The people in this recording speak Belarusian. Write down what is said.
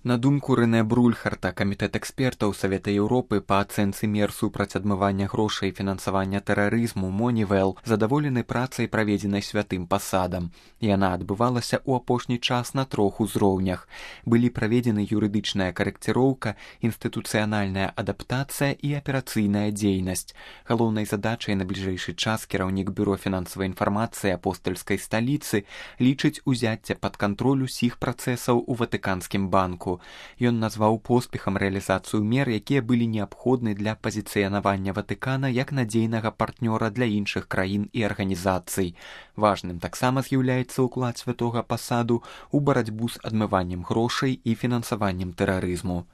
На думку Рэнэ Брульхарта, камітэт экспертаў Савета Еўропы па ацэнцы мер супраць адмывання грошай і фінансавання тэрарызму Moneyval задаволены працай, праведзенай святым пасадам. Яна адбывалася ў апошні час на 3 узроўнях. Былі праведзены юрыдычная карэкціроўка, інстытуцыянальная адаптацыя і аперацыйная дзейнасць. Галоўнай задачай на бліжэйшы час кіраўнік бюро фінансавай інфармацыі апостальскай сталіцы лічыць узяцце пад кантроль усіх працэсаў у Ватыканскім банку. Ён назваў поспехам рэалізацыю мер, якія былі неабходны для пазіцыянавання Ватыкана як надзейнага партнёра для іншых краін і арганізацый. Важным таксама з'яўляецца ўклад святога пасаду ў барацьбу з адмываннем грошай і фінансаваннем тэрарызму.